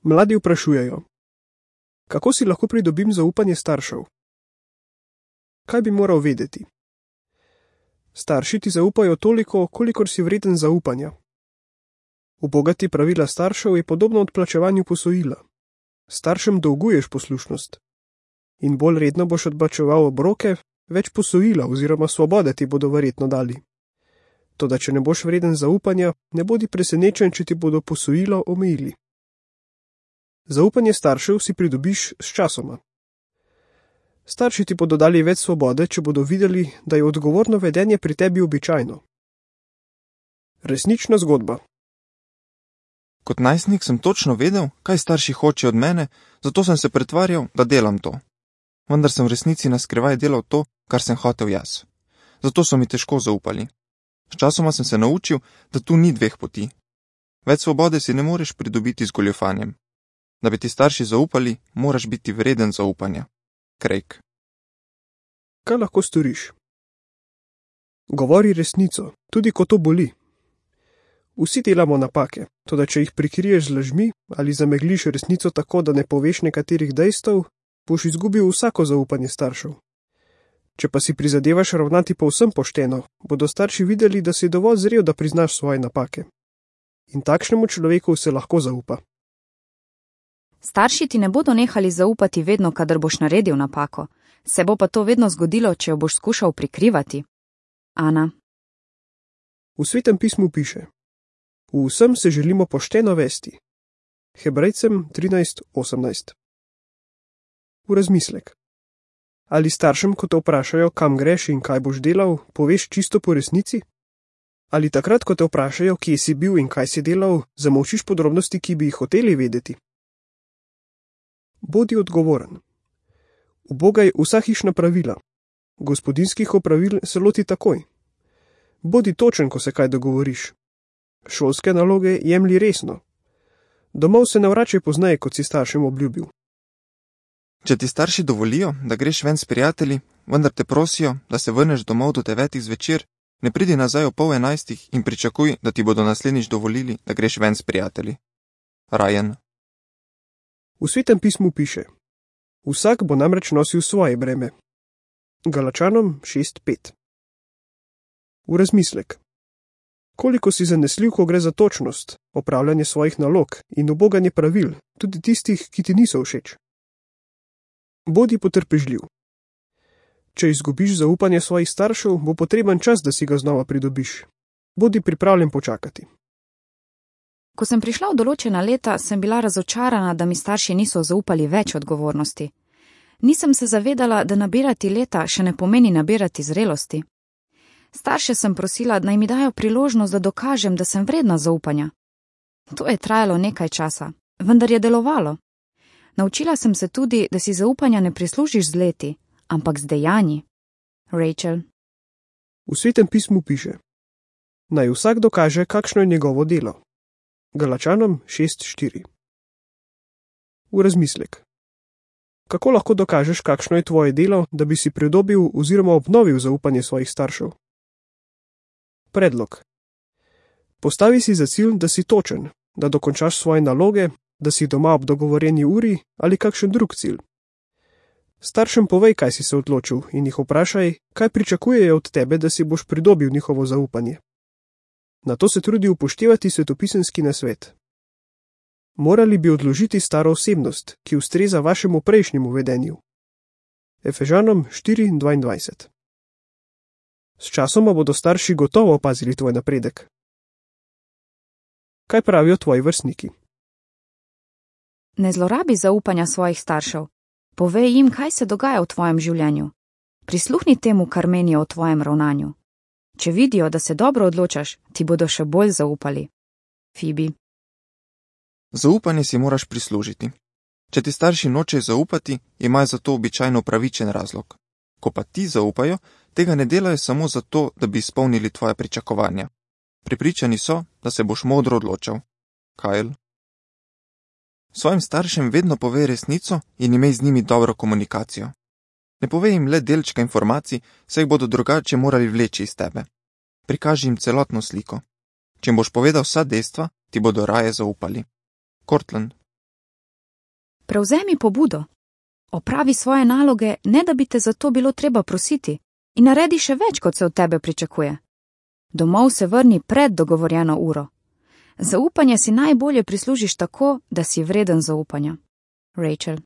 Mladi vprašujejo: kako si lahko pridobim zaupanje staršev? Kaj bi moral vedeti? Starši ti zaupajo toliko, kolikor si vreden zaupanja. Ubogati pravila staršev je podobno odplačevanju posojila. Staršem dolguješ poslušnost. In bolj redno boš odplačeval obroke, več posojila oziroma svobode ti bodo verjetno dali. Toda če ne boš vreden zaupanja, ne bodi presenečen, če ti bodo posojilo omejili. Zaupanje staršev si pridobiš s časoma. Starši ti bodo dali več svobode, če bodo videli, da je odgovorno vedenje pri tebi običajno. Resnična zgodba. Kot najstnik sem točno vedel, kaj starši hočejo od mene, zato sem se pretvarjal, da delam to. Vendar sem v resnici na skrivaj delal to, kar sem hotel jaz. Zato so mi težko zaupali. Sčasoma sem se naučil, da tu ni dveh poti. Več svobode si ne moreš pridobiti z goljufanjem. Da bi ti starši zaupali, moraš biti vreden zaupanja. Craig. Kaj lahko storiš? Govori resnico, tudi ko to boli. Vsi delamo napake, toda če jih prikriješ z lažmi ali zamegliš resnico tako, da ne poveš nekaterih dejstev, boš izgubil vsako zaupanje staršev. Če pa si prizadevaš ravnati povsem pošteno, bodo starši videli, da si dovolj zrel, da priznaš svoje napake. In takšnemu človeku se lahko zaupa. Starši ti ne bodo nehali zaupati vedno, kadar boš naredil napako. Se bo pa to vedno zgodilo, če jo boš skušal prikrivati. Ana. V Svetem pismu piše: v vsem se želimo pošteno vesti. Hebrejcem 13:18. V razmislek. Ali staršem, ko te vprašajo, kam greš in kaj boš delal, poveš čisto po resnici? Ali takrat, ko te vprašajo, kje si bil in kaj si delal, zamolčiš podrobnosti, ki bi jih hoteli vedeti? Bodi odgovoren. Ubogaj vsa hišna pravila. Gospodinjskih opravil se loti takoj. Bodi točen, ko se kaj dogovoriš. Šolske naloge jemlji resno. Domov se ne vračaj pozneje, kot si staršem obljubil. Če ti starši dovolijo, da greš ven s prijatelji, vendar te prosijo, da se vrneš domov do 9 zvečer, ne pridi nazaj ob 10:30 in pričakuj, da ti bodo naslednjič dovolili, da greš ven s prijatelji. Ryan. V Svetem pismu piše: vsak bo namreč nosil svoje breme. Galačanom 6:5. V razmislek. Koliko si zanesljiv, ko gre za točnost, opravljanje svojih nalog in uboganje pravil, tudi tistih, ki ti niso všeč? Bodi potrpežljiv. Če izgubiš zaupanje svojih staršev, bo potreben čas, da si ga znova pridobiš. Bodi pripravljen počakati. Ko sem prišla v določena leta, sem bila razočarana, da mi starši niso zaupali več odgovornosti. Nisem se zavedala, da nabirati leta še ne pomeni nabirati zrelosti. Starše sem prosila, naj mi dajo priložnost, da dokažem, da sem vredna zaupanja. To je trajalo nekaj časa, vendar je delovalo. Naučila sem se tudi, da si zaupanja ne prislužiš z leti, ampak z dejanji. Rachel. V Svetem pismu piše: naj vsak dokaže, kakšno je njegovo delo. Galačanom 6:4. V razmislek. Kako lahko dokažeš, kakšno je tvoje delo, da bi si pridobil oziroma obnovil zaupanje svojih staršev? Predlog. Postavi si za cilj, da si točen, da dokončaš svoje naloge, da si doma ob dogovorjeni uri ali kakšen drug cilj. Staršem povej, kaj si se odločil, in jih vprašaj, kaj pričakujejo od tebe, da si boš pridobil njihovo zaupanje. Nato se trudi upoštevati svetopisemski nasvet. Morali bi odložiti staro osebnost, ki ustreza vašemu prejšnjemu vedenju. Efežanom 4:22. S časoma bodo starši gotovo opazili tvoj napredek. Kaj pravijo tvoji vrstniki? Ne zlorabi zaupanja svojih staršev. Povej jim, kaj se dogaja v tvojem življenju. Prisluhni temu, kar menijo o tvojem ravnanju. Če vidijo, da se dobro odločaš, ti bodo še bolj zaupali. Phoebe. Zaupanje si moraš prislužiti. Če ti starši nočejo zaupati, imajo za to običajno upravičen razlog. Ko pa ti zaupajo, tega ne delajo samo zato, da bi izpolnili tvoje pričakovanja. Prepričani so, da se boš modro odločal. Kyle. Svojim staršem vedno povej resnico in imej z njimi dobro komunikacijo. Ne povej jim le delčka informacij, saj jih bodo drugače morali vleči iz tebe. Prikaži jim celotno sliko. Če jim boš povedal vsa dejstva, ti bodo raje zaupali. Cortland. Prevzemi pobudo. Opravi svoje naloge, ne da bi te za to bilo treba prositi, in naredi še več, kot se od tebe pričakuje. Domov se vrni pred dogovorjeno uro. Zaupanje si najbolje prislužiš tako, da si vreden zaupanja. Rachel.